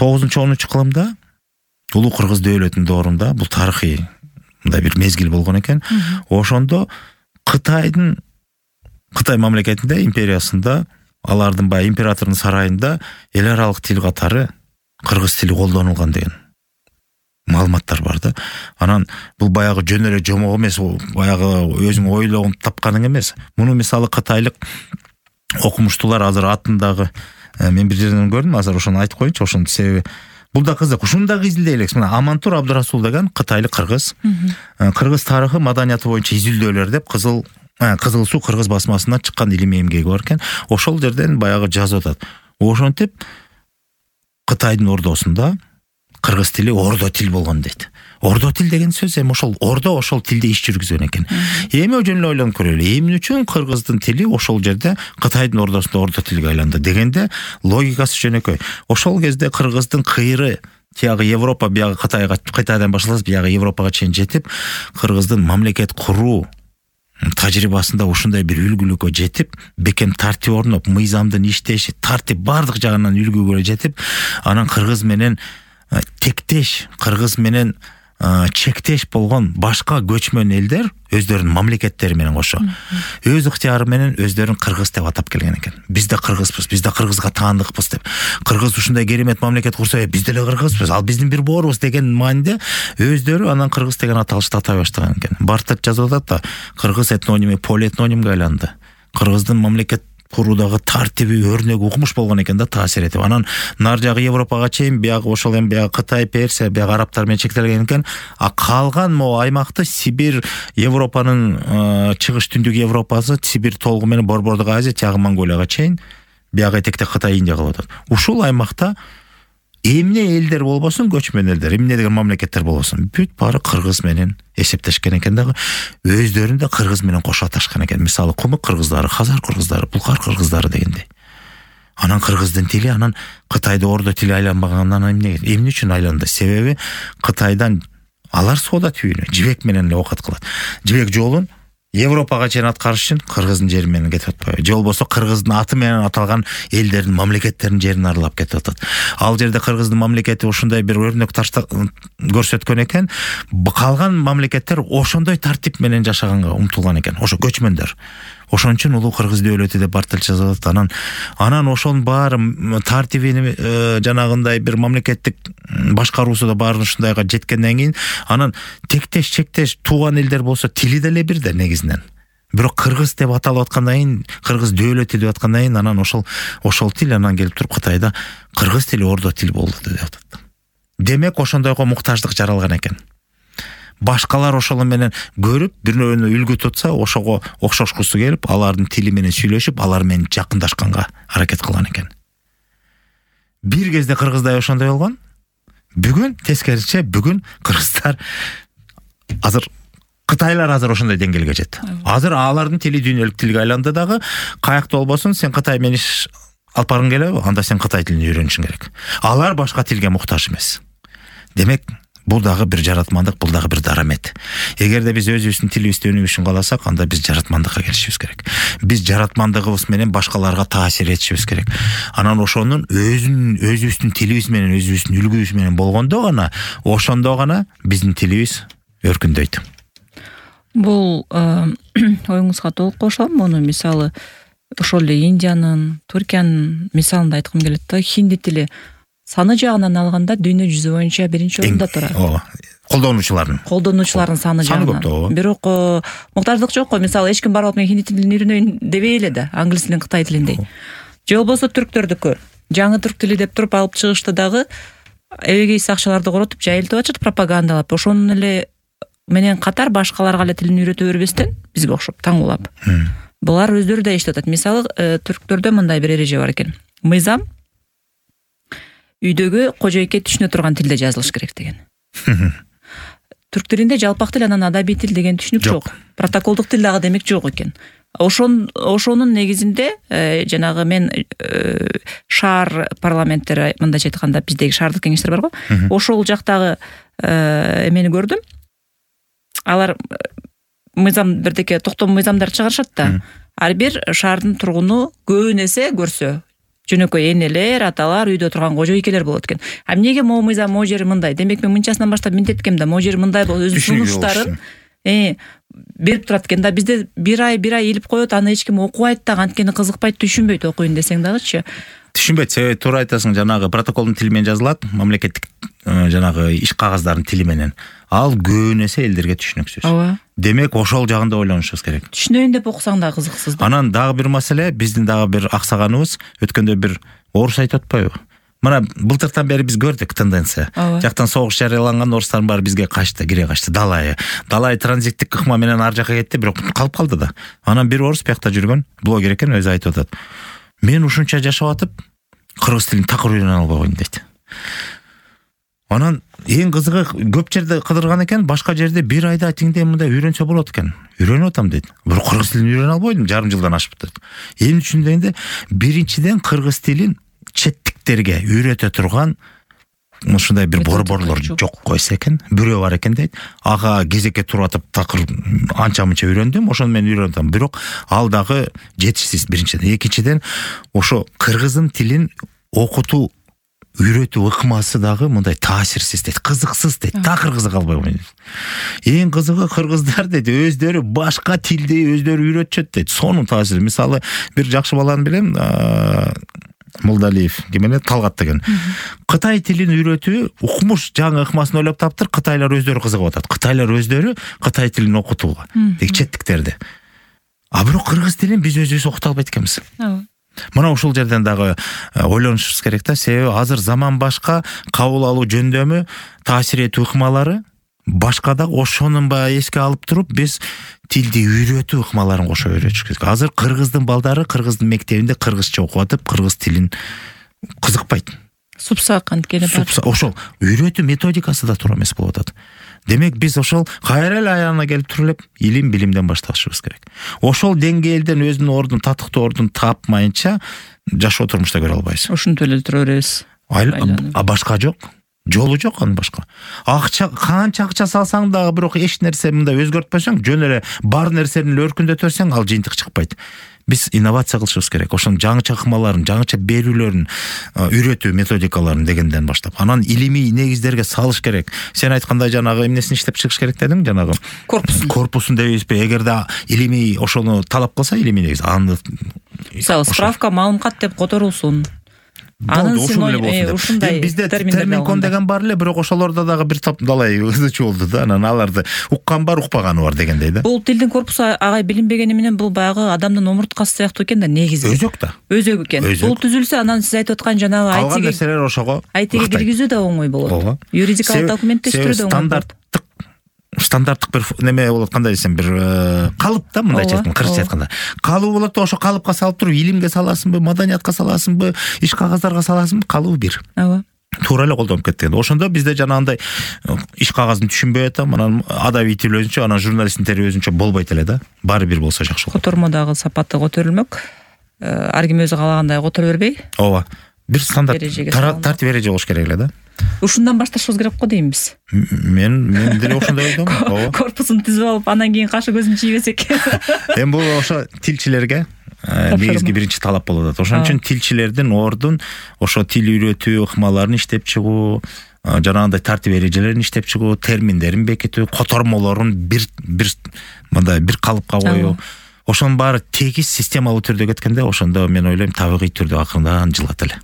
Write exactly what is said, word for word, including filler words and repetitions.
тогузунчу онунчу кылымда улуу кыргыз дөөлөтүнүн доорунда бул тарыхый мындай бир мезгил болгон экен. Ошондо Кытайдын Кытай мамлекетинде, империясында, алардын баягы императордун сарайында эл аралык тил катары кыргыз тили колдонулган деген маалыматтар бар да. Анан бул баягы жөн эле жомок эмес, баягы өзүң ойлогон тапканың эмес. Муну мисалы кытайлык окумуштуулар азыр атындагы мен бир жерден көрдүм, азыр ошону айтып коеюнчу, ошонун себеби бул да кызык. Ушуну да изилдей элек. Мына Амантур Абдурасул деген кытайлык кыргыз. Кыргыз тарыхы маданияты боюнча изилдөөлөр деп Кызыл Кызыл суу кыргыз басмасынан чыккан илимий эмгеги бар экен. Ошол жерден баягы жазып атат. Ошентип Кытайдын ордосунда кыргыз тили ордо тил болгон дейт. Ордо тил деген сөз эми ошол ордо ошол тилде иш жүргүзгөн экен. Эми жөн эле ойлонуп көрөлү. Эмне үчүн кыргыздын тили ошол жерде Кытайдын ордосунда ордо тилге айланды дегенде логикасы жөнөкөй. Ошол кезде кыргыздын кыйры тиягы Европа, биягы Кытайга, Кытайдан башталып биягы Европага чейин жетип, кыргыздын мамлекет куруу тажрыйбасында ушундай бир үлгүлүккө жетип, бекем тартип орноп, мыйзамдын иштеши, тартип бардык жагынан үлгүгө жетип, анан кыргыз менен тектеш, кыргыз менен чектеш болгон башка көчмөн элдер өздөрүнүн мамлекеттери менен кошо өз ыктыяры менен өздөрүн кыргыз деп атап келген экен. Биз да кыргызбыз, биз да кыргызга таандыкпыз деп. Кыргыз ушундай керемет мамлекет курса, биз деле кыргызбыз, ал биздин бир боорубуз деген мааниде өздөрү анан кыргыз деген аталышты атай баштаган экен. Бартет жазып атат да, кыргыз этноними полиэтнонимге айланды. Кыргыздын мамлекет куруудагы тартиби, өрнөгү укмуш болгон экен да, таасир этип. Анан нар жагы Европага чейин биягы ошол эми биягы Кытай, Персия, биягы арабтар менен чектелген экен. А калган могу аймакты Сибирь, Европанын чыгыш түндүк Европасы, Сибирь толугу менен Борбордук Азия, тиягы Монголияга чейин биягы этекте Кытай, Индия кылып атат. Ушул аймакта эмне элдер болбосун, көчмөн элдер, эмне деген мамлекеттер болбосун, бүт баары кыргыз менен эсептешкен экен дагы, өздөрүн да кыргыз менен кошо аташкан экен. Мисалы Кумук кыргыздары, Хазар кыргыздары, Булгар кыргыздары дегендей. Анан кыргыздын тили анан Кытайда ордо тили айланбагандан эмне эмне үчүн айланды? Себеби Кытайдан алар соода түйүнү, жибек менен эле оокат кылат. Жибек жолун Европага чейин аткарыш үчүн кыргыздын жери менен кетип атпайбы? Же болбосо кыргыздын аты менен аталган элдердин мамлекеттеринин жерин аралап кетип атат. Ал жерде кыргыздын мамлекети ушундай бир өрнөк ташта көрсөткөн экен. Калган мамлекеттер ошондой тартип менен жашаганга умтулган экен. Ошо көчмөндөр. Ошон үчүн улуу кыргыз дөөлөтү деп Бартел жазып атат. Анан анан ошонун баары тартибини жанагындай бир мамлекеттик башкаруусу да баарын ушундайга жеткенден кийин анан тектеш чектеш тууган элдер болсо тили деле бир да негизинен. Бирок кыргыз деп аталып аткандан кийин, кыргыз дөөлөтү деп аткандан кийин анан ошол ошол тил анан келип туруп Кытайда кыргыз тили ордо тил болду деп атат. Демек ошондойго муктаждык жаралган экен. Башкалар ошол менен көрүп, бирөөнү үлгү тутса, ошого окшошкусу келип, алардын тили менен сүйлөшүп, алар менен жакындашканга аракет кылган экен. Бир кезде кыргыздар ошондой болгон. Бүгүн тескерисинче, бүгүн кыргыздар азыр Кытайлар азыр ошондой деңгээлге жетти. Азыр алардын тили дүйнөлүк тилге айланды дагы, каякта болбосун, сен Кытай менен иш алып баргың келеби? Анда сен Кытай тилин үйрөнүшүң керек. Алар башка тилге муктаж эмес. Демек, бул дагы бир жаратмандык, бул дагы бир дарамет. Эгерде биз өзүбүздүн тилибизди өнүгүшүн кааласак, анда биз жаратмандыкка келишибиз керек. Биз жаратмандыгыбыз менен башкаларга таасир этишибиз керек. Анан ошонун өзүн өзүбүздүн тилибиз менен, өзүбүздүн үлгүбүз менен болгондо гана, ошондо гана биздин тилибиз өркүндөйт. Бул оюңузга толук кошулам. Муну мисалы ошол эле Индиянын, Түркиянын мисалында айткым келет да. Хинди тили саны жагынан алганда дүйнө жүзү боюнча биринчи орунда турат. Ооба. Колдонуучулардын. Колдонуучулардын саны жагынан. Бирок муктаждык жок го. Мисалы эч ким барып мен хинди тилин үйрөнөйүн дебей эле да, англис тилин, Кытай тилиндей. Же болбосо түрктөрдүкү жаңы түрк тили деп туруп алып чыгышты дагы эбегей сакчыларды коротуп жайылтып атышат, пропагандалап. Ошонун эле менен катар башкаларга эле тилин үйрөтө бербестен бизге окшоп таңуулап. Булар өздөрү да эшитип атат. Мисалы түрктөрдө мындай бир эреже бар экен. Мыйзам үйдөгү кожойке түшүнө турган тилде жазылыш керек деген. Түрк тилинде жалпак тил, анан адабий тил деген түшүнүк жок. Протоколдук тил дагы демек жок экен. Ошон ошонун негизинде жанагы мен шаар парламенттери мындайча айтканда биздеги шаардык кеңештер бар го. Ошол жактагы эмени көрдүм. Алар мыйзам бирдеке токтом мыйзамдар чыгарышат да. Ар бир шаардын тургуну көбүн эсе көрсө, жөнөкөй энелер, аталар, үйдө турган кожо ийкелер болот экен. А эмнеге могу мыйзам могу жери мындай? Демек мен мынчасынан баштап минтеткем да, могу жери мындай болуп өзүнүн сунуштарын э берип турат экен да. Бизде бир ай бир ай илип коет, аны эч ким окубайт дагы, анткени кызыкпайт, түшүнбөйт окуйн десең дагычы. Түшүнбөйт, себеби туура айтасың, жанагы протоколдун тили менен жазылат, мамлекеттик жанагы иш кагаздардын тили менен. Ал көбүн эсе элдерге түшүнүксүз. Ооба. Демек ошол жагында ойлонушубуз керек. Түшүнөйүн деп окусаң да кызыксыз да. Анан дагы бир маселе, биздин дагы бир аксаганыбыз, өткөндө бир орус айтып атпайбы? Мына былтыртан бери биз көрдүк тенденция. Жактан согуш жарыяланган орустардын баары бизге качты, кире качты. Далай. Далай транзиттик ыкма менен ар жака кетти, бирок калып калды да. Анан бир орус биякта жүргөн блогер экен, өзү айтып атат. Мен ушунча жашап атып, кыргыз тилин такыр үйрөнө албай койдум дейт. Анан эң кызыгы, көп жерде кыдырган экен, башка жерде бир айда тиңдей мындай үйрөнсө болот экен. Үйрөнүп атам дейт. Бирок кыргыз тилин үйрөнө албайдым, жарым жылдан ашып дейт. Эмне үчүн дегенде, биринчиден кыргыз тилин четтиктерге үйрөтө турган ушундай бир борборлор жок койсо экен, бирөө бар экен дейт. Ага кезекке туруп атып такыр анча-мынча үйрөндүм, ошону мен үйрөнөм. Бирок ал дагы жетишсиз биринчиден. Экинчиден, ошо кыргыздын тилин окутуу үйрөтүү ыкмасы дагы мындай таасирсиз дейт, кызыксыз дейт, такыр кызыга албай койдум. Эң кызыгы кыргыздар дейт, өздөрү башка тилди өздөрү үйрөтүшөт дейт. Сонун таасири. Мисалы, бир жакшы баланы билем, Молдалиев, ким эле, Талгат деген. Кытай тилин үйрөтүү укмуш жаңы ыкмасын ойлоп таптыр, кытайлар өздөрү кызыгып атат. Кытайлар өздөрү кытай тилин окутууга, тек четтиктерди. А бирок кыргыз тилин биз өзүбүз окута албайт экенбиз. Мына ушул жерден дагы ойлонушубуз керек да, себеби азыр заман башка, кабыл алуу жөндөмү, таасир этүү ыкмалары башка да, ошонун баягы эске алып туруп биз тилди үйрөтүү ыкмаларын кошо үйрөтүш керек. Азыр кыргыздын балдары кыргыздын мектебинде кыргызча окуп атып, кыргыз тилин кызыкпайт. Супсак анткени бар. Ошол үйрөтүү методикасы да туура эмес болуп атат. Демек биз ошол кайра эле аягына келип туруп элеп илим билимден башташыбыз керек. Ошол деңгээлден өзүнүн ордун, татыктуу ордун тапмайынча жашоо турмушта көрө албайсыз. Ушинтип эле тура беребиз. А башка жок. Жолу жок анын башка. Акча, канча акча салсаң дагы бирок эч нерсе мындай өзгөртпөсөң, жөн эле бар нерсени өркүндөтө берсең, ал жыйынтык чыкпайт. Биз инновация кылышыбыз керек. Ошонун жаңыча ыкмаларын, жаңыча берүүлөрүн, үйрөтүү методикаларын дегенден баштап, анан илимий негиздерге салыш керек. Сен айткандай жанагы эмнесин иштеп чыгыш керек дедиң, жанагы корпусун. Корпусун дейбизби? Эгерде илимий ошону талап кылса, илимий негиз, аны мисалы справка, маалымат деп которулсун. Анын ушундай бизде терминкон деген бар эле, бирок ошолордо дагы бир топ далай ызычу болду да. Анан аларды уккан бар, укпаганы бар дегендей да. Бул тилдин корпусу агай билинбегени менен бул баягы адамдын омурткасы сыяктуу экен да, негизи. Өзөк да. Өзөк экен. Бул түзүлсө, анан сиз айтып аткан жанагы ай тиге нерселер ошого ай тиге киргизүү да оңой болот. Юридикалык документтештирүү да оңой болот. Стандарттык бир неме болот, кандай десем, бир калып да, мындайча айтканда, кыргызча айтканда. Калуу болот да, ошо калыпка салып туруп, илимге саласыңбы, маданиятка саласыңбы, иш кагаздарга саласыңбы, калуу бир. Ооба. Туура эле колдонуп кетти. Ошондо бизде жанагындай иш кагазын түшүнбөй атам, анан адабий тил өзүнчө, анан журналисттин тери өзүнчө болбойт эле да. Баары бир болсо жакшы болот. Котормодагы сапаты көтөрүлмөк. Ар ким өзү каалагандай которо бербей. Ооба. Бир стандарт тартип эреже болуш керек эле да. Ушундан башташыбыз керек го деймиз. Мен мен деле ошондой ойдом. Ооба. Корпусун түзүп алып, анан кийин кашы көзүн чийбесек. Эми бул ошо тилчилерге негизги биринчи талап болуп атат. Ошон үчүн тилчилердин ордун ошо тил үйрөтүү ыкмаларын иштеп чыгуу, жанагындай тартип эрежелерин иштеп чыгуу, терминдерин бекитүү, котормолорун бир бир мындай бир калыпка коюу. Ошонун баары тегиз системалуу түрдө кеткенде, ошондо мен ойлойм табигый түрдө акырындан жылат эле.